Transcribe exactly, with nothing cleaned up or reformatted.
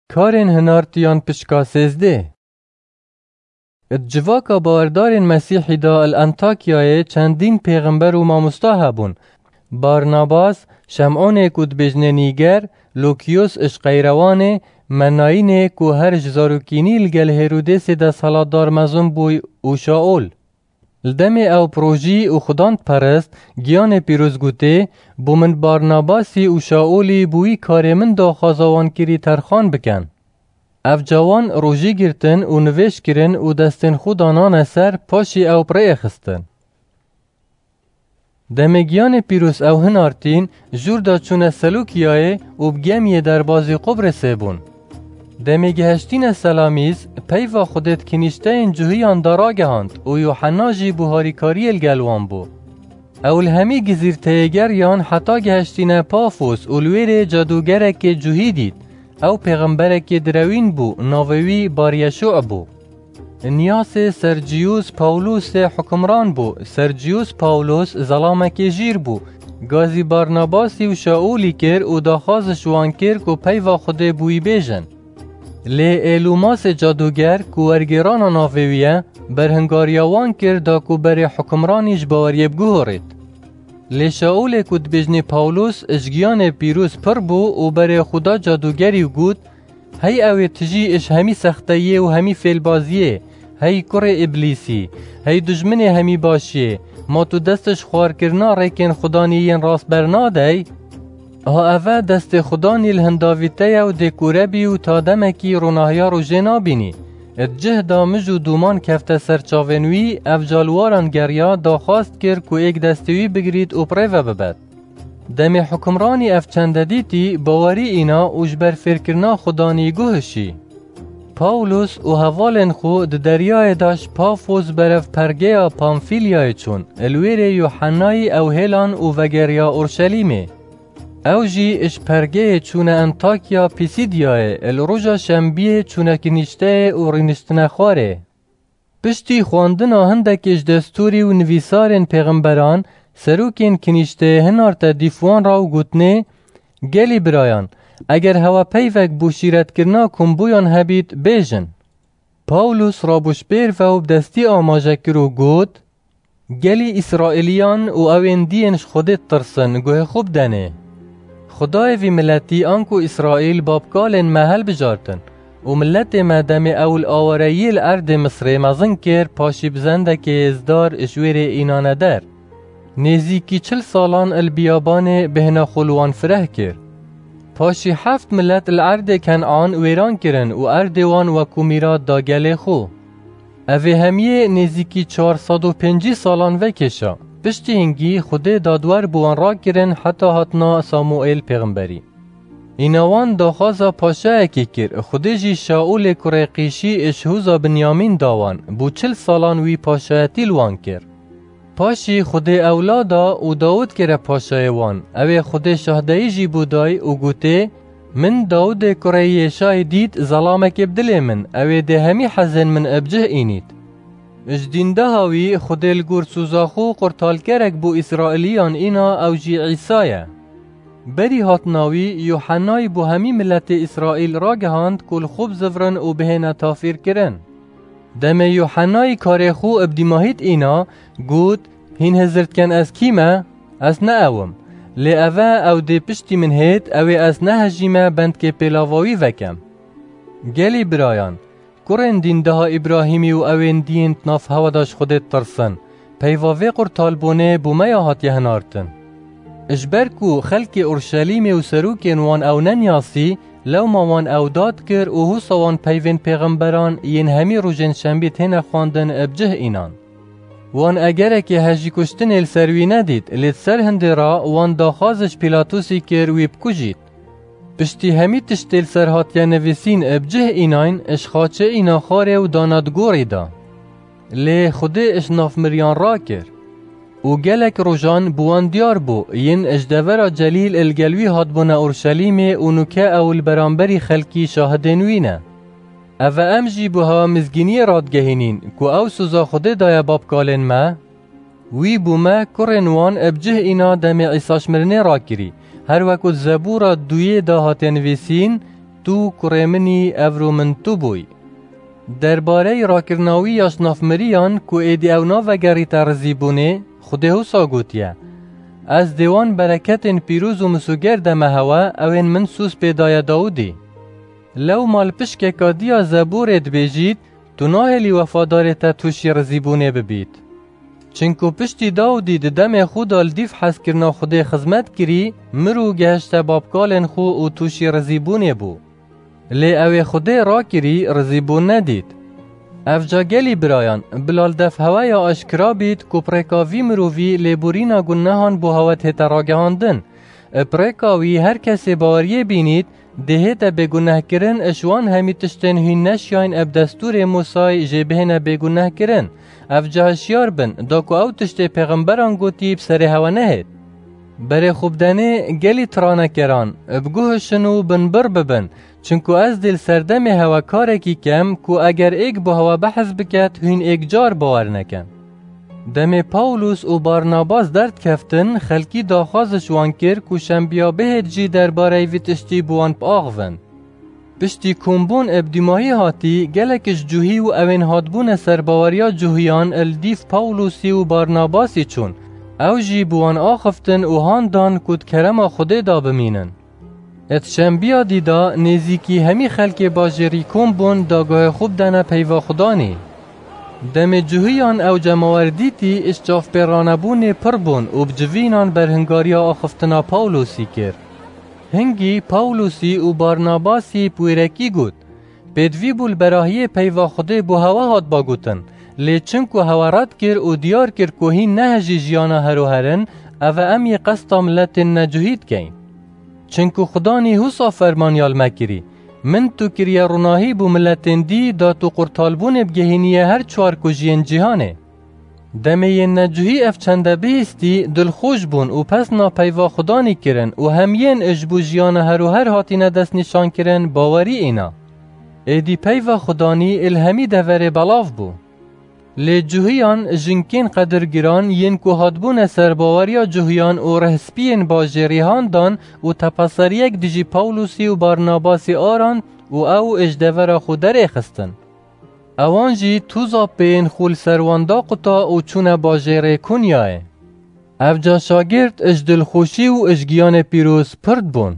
Karên hinartiyan pişka sêzdeh. Di civaka bawerdarên Mesîhî de li Antakyayê çendîn pêxember û mamosta hebûn. Barnabas, Şem'onê ku dibêjinê Nîger, Lukiyos ji Qeyrewanê, Menayînê ku her ji zarokînî li gel Hêrodêsê desthilatdar mezin bûy û Şaol. Li demê ew projî û Xudan diperist, Giyanê Pîroz gotê, bo min Barnabasî û Şaolî bi wî karê min daxwaza wan kirî terxan bikin. Ev cawan rojî girtin û nivêj kirin û destên xwe danane ser, paşî ew bi rêyê xistin. Demê Giyanê Pîroz ew hinartîn, jûr da çûne Selûkiyayê û bi gemiyê derbazî Qubrêsê bûn. Demê gihiştîne Selamîs, peyva Xwedê di kinîşteyên cuhiyan de ragihand û Yuhenna jî bi harîkariyê li gel wan bû. Ew li hemî gizîrteyê geriyan heta gihiştîne Pafos û li wêrê cadûgerekê cuhî dît. Ew pêxemberekê direwîn bû, navê wî Baryeşû bû. Niyasê Serciyûs Pawlûsê hukimran bû. Serciyûs Pawlûs zelamekê jîr bû. Gazî Barnabasî û Şaûlî kir û daxwaz ji wan kir ku peyva Xwedê bi wî bêjin. Lê Êlûmasê cadûger ku wergêrana navê wî ye, berhingariya wan kir da ku berê hukimranî ji baweriyê biguhorêt. Lê Şaûlê ku dibêjinê Pawlûs ji Giyanê Pîroz pir bû û berê xwe da cadûgerî û got, Hey ew ê tijî ji hemî sexteyiyê û hemî fêlbaziyê, hey kurê Îblîsî, hey dijminê hemî başiyê, ma tu dest ji xwarkirina rêkên Xudanî yên rast bernadey? Ha eve destê Xudanî li hindavî te ye û dê kûre bî û ta demekî ronahiya rojê nabînî. Di cih da mij û dûman kefte ser çavên wî, ev ca li waran geriya, daxwaz kir ku êk destê wî bigirît û bi rê ve bibet. Demê hukimranî ev çende dîtî, bawerî îna û ji ber fêrkirina Xudanî guh hişî. Pawlûs û hevalên xwe di deryayê de ji Pafos berev pergeya Pamfîlyayê çûn, li wêrê Yuhennayî ew hêlan û vegeriya Orşelîmê. Ew jî ji pergeyê çûne Antakya Pîsîdyayê, li roja şembiyê çûne kinîşteyê û rîniştine xwarê. Piştî xwendina hindekê ji destûrî û nivîsarên pêxemberan, serokên kinîşteyê hinarte dîf wan re û gotinê, Gelî birayan, eger hewe peyvek bo şîretkirina komboyan hebît, bêjin. Pawlûs rabû ji pêr ve û bi destî amaje kir û got, Gelî Îsraîliyan û ew ên diyên ji Xwedê ditirsin, guhê xwe bidenê. Xwedayê vî miletî anku Îsraîl babkalên me hilbijartin û miletê me demê ew li awareyiyê li erdê Misrê mezin kir, paşî bi zendekê hêzdar ji wêrê înane der. Nêzîkî çil salan li biyabanê bêhna xwe li wan fireh kir. Paşî heft milet li erdê Kenan wêran kirin û erdê wan wekû mîrat da gelê xwe. Ev ê hemiyê nêzîkî çar sed û pêncî salan vekêşa. Piştî hingî Xwedê dadwer bi wan rakirin heta hatina Samuêl pêxemberî. Îna wan daxwaza paşayekî kir, Xwedê jî Şaûlê kurê Qîşî ji hûza Binyamîn da wan, bû çil salan wî paşayetî li wan kir. Paşî Xwedê ewla da û Dawid kire paşayê wan, ew ê Xwedê şahdeyî jî bo day û gotê, Min Dawidê kurê Yêşayî dît, zelamekê bi dilê min, ew ê dê hemî hezên min bi cih înît. Ji dîndeha wî Xwedê li gor soza xwe qurtalkerek bo Îsraîliyan îna, ew jî Îsa ye. Berî hatina wî, Yuhennayî bo hemî miletê Îsraîl ragihand ku li xwe bizivrin û bihêne tafîrkirin. Demê Yuhennayî karê xwe bi dîmahît îna, got, Hîn hizir dikin ez kî me? Ez ne ew im. Lê ev e, ew dê piştî min hêt, ew ê ez nehejîme bendkê pêlava wî vekem. Gelî birayan, kurên dîndeha Îbrahîmî û ew ên diyên di nav hewe de ji Xwedê ditirsin, peyva vê qurtalbûnê bo me ya hatiye hinartin. Ji ber ku xelkê Urşelîmê û serokên wan ew neniyasî, lewma wan ew dad kir û husa wan peyvên pêxemberan yên hemî rojên şembî têne xwendin bi cih înan. Wan egerekê hejîkuştinê li ser wî nedît, lê di ser hindê re wan daxwaz ji Pîlatosî kir wî bikujît. Piştî hemî tiştê li ser hatiye nivîsîn bi cih înayn, ji xaçê îna xwarê û dana di gorî de. Lê Xwedê ji nav miriyan rakir. Û gelek rojan bi wan diyar bû, yên ji devera Celîl li gel wî hatbûne Urşelîmê û nûke ew li beramberî xelkî şahidên wî ne. Ev e em jî bo hewe mizgîniyê radigehînîn, ku ew soza Xwedê daye babkalên me. Wî bo me kurên wan bi cih îna demê Îsa ji mirinê rakirî, her wek ku di Zebûra duyê de hatiye nivîsîn, Tu kurê min î, evro min tu bûy. Derbareyî rakirina wî ya ji nav miriyan ku êdî ew navegerîte rizîbûnê, Xwedê wisa gotiye, Ez dê wan bereketên pîroz û misûger deme hewe, ewên min sûz pê daye Dawidî. Lewma li pişkeka diya Zeborê dibêjît, Tu nahêlî wefadarê te tûşî rizîbûnê bibît. Çinku piştî Dawidî di demê xwe de li dîv hezkirina Xwedê xizmet kirî, mir û gehişte babkalên xwe û tûşî rizîbûnê bû. Lê ew ê Xwedê rakirî, rizîbûn nedît. Ev ca gelî birayan, bila li dev hewe ya aşkira bît ku bi rêka vî mirovî lêborîna gunehan bo hewe dihête ragihandin. Bi rêka wî her kesê baweriyê bînît, dê hête bêgunehkirin, ji wan hemî tiştên hûn neşiyayîn eb destûrê Mûsayî jê bihêne bêgunehkirin. Ev ca hişyar bin, da ku ew tiştê pêxemberan gotî bi serê hewe nehêt. Berê xwe bidenê gelî tiranekeran, biguhişin û binbir bibin, çinku ez dê li serdemê hewe karekî kem ku eger êk bo hewe behs biket, hûn êk car bawer nekin. Demê Pawlus û Barnabas derdikeftin, xelkî daxwaz ji wan kir ku şembiya bihêt jî derbareyî vî tiştî bi wan biaxivin. Piştî kombûn eb dîmahî hatî, gelek ji cuhî û ewên hatbûne ser baweriya cuhiyan li dîv Pawlusî û Barnabasî çûn. Ew jî bi wan axiftin û han dan ku di kerema Xwedê de bimînin. Di şembiya dî de nêzîkî hemî xelkê bajêrî kom bûn, da guhê xwe bidene peyva Xudanî. Demê cuhiyan ew cemawer dîtî, ji çavpêranebûnê pir bûn û bi civînan berhingariya axiftina Pawlosî kir. Hingî Pawlosî û Barnabasî bi wêrekî got, Pêdivî bû li berahiyê peyva Xwedê bo hewe hatba gotin, lê çinku hewe red kir û diyar kir ku hîn nehejî jiyana heroher in, eve em yê qesta miletên necuhî dikeyn. Çinku Xudanî husa fermanyal me kirî, Min tu kiriye ronahî bo miletên dî, da tu qurtalbûnê bigehîniye her çar kujiyên cîhanê. Demê yên necuhî ev çende bihîstî, dilxweş bûn û pesna peyva Xudanî kirin û hemiyên ji bo jiyana heroher hatîne destnîşankirin bawerî îna. Êdî peyva Xudanî li hemî deverê belav bû. Lê cuhiyan, jinkên qedirgiran yên ku hatbûne ser baweriya cuhiyan û rihspiyên bajêrî han dan û tepeseriyek dijî Pawlosî û Barnabasî arand û ew ji devera xwe derêxistin. Ewan jî toza pêyên xwe li ser wan daquta û çûne bajêrê Kunyayê. Ev ca şagirt ji dilxweşî û ji giyanê pîroz pird bûn.